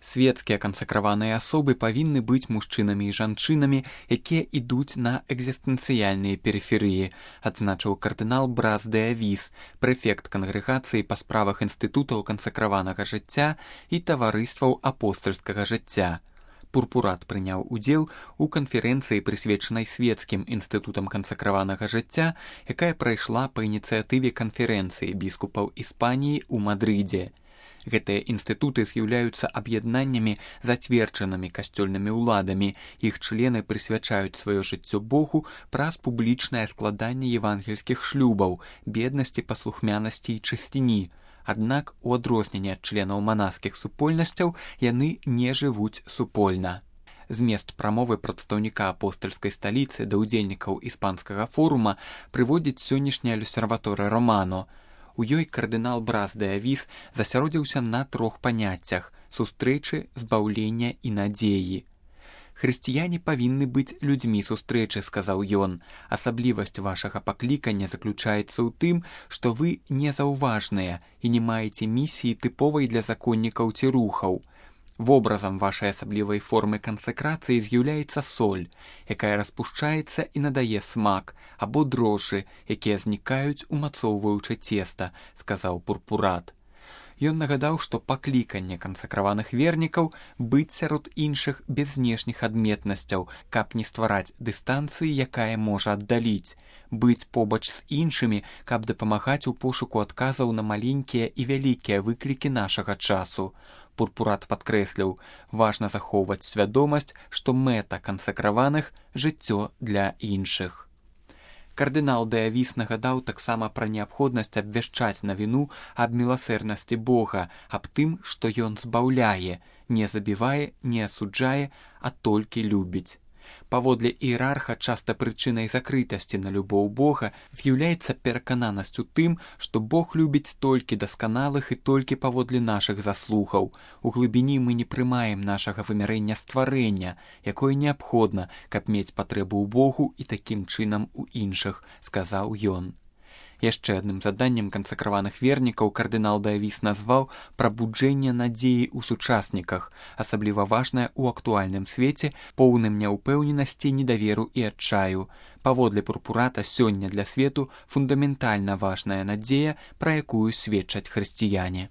Свецкія кансакраваныя асобы павінны быць мужчынамі і жанчынамі, якія ідуць на экзістэнцыяльныя перыферыі, адзначыў кардынал Брас де Авіс, прэфект кангрэгацыі па справах інстытутаў кансакраванага жыцця і таварыстваў апостальскага жыцця. Пурпурат прыняў удзел у канферэнцыі, прысвечанай свецкім інстытутам кансакраванага жыцця, якая прайшла па ініцыятыве канферэнцыі біскупаў Іспаніі ў Мадрыдзе. Гэтыя інстытуты з'яўляюцца аб'яднаннямі, зацверджанымі касцёльнымі ўладамі. Іх члены прысвячаюць сваё жыццё Богу праз публічнае складанне евангельскіх шлюбаў, беднасці, паслухмянасці і чысціні. Аднак, у адрозненне ад членаў манаскіх супольнасцяў, яны не жывуць супольна. Змест прамовы прадстаўніка апостальскай сталіцы да ўдзельнікаў іспанскага форума прыводзіць сённяшняя люсерваторыя Романо. У ёй кардынал Брас де Авіс засяродзіўся на 3 паняццях – сустрэчы, збаўлення і надзеі. «Хрысціяне павінны быць людзьмі сустрэчы», – сказаў ён. «Асаблівасць вашага паклікання заключаецца ў тым, што вы незаўважныя і не маеце місіі тыповай для законнікаў ці рухаў. Вобразам вашай асаблівай формы кансакрацыі з'яўляецца соль, якая распушчаецца і надае смак, або дрожжы, якія знікаюць, умацоўваючы цеста», – сказаў Пурпурат. Ён нагадаў, што пакліканне кансакраваных вернікаў быць сярод іншых без знешніх адметнасцяў, каб не ствараць дыстанцыі, якая можа аддаліць, быць побач з іншымі, каб дапамагаць у пошуку адказаў на маленькія і вялікія выклікі нашага часу. Пурпурат падкрэсліў, важна захоўваць свядомасць, што мэта кансакраваных – жыццё для іншых. Кардынал де Авіс нагадаў таксама пра неабходнасць абвяшчаць навіну аб міласэрнасці Бога, аб тым, што ён збаўляе, не забівае, не асуджае, а толькі любіць. Паводле іерарха, часта прычынай закрытасці на любоў Бога з'яўляецца перакананасць у тым, што Бог любіць толькі дасканалых і толькі паводле нашых заслугаў. У глыбіні мы не прымаем нашага вымярэння стварэння, якое неабходна, каб мець патрэбу ў Богу і такім чынам у іншых, сказаў ён. Яшчэ адным заданнем кансакраваных вернікаў кардынал де Авіс назваў прабуджэнне надзеі ў сучасніках, асабліва важнае ў актуальным свеце, поўным няўпэўненасці, недаверу і адчаю. Паводле Пурпурата, сёння для свету фундаментальна важная надзея, пра якую сведчаць хрысціяне.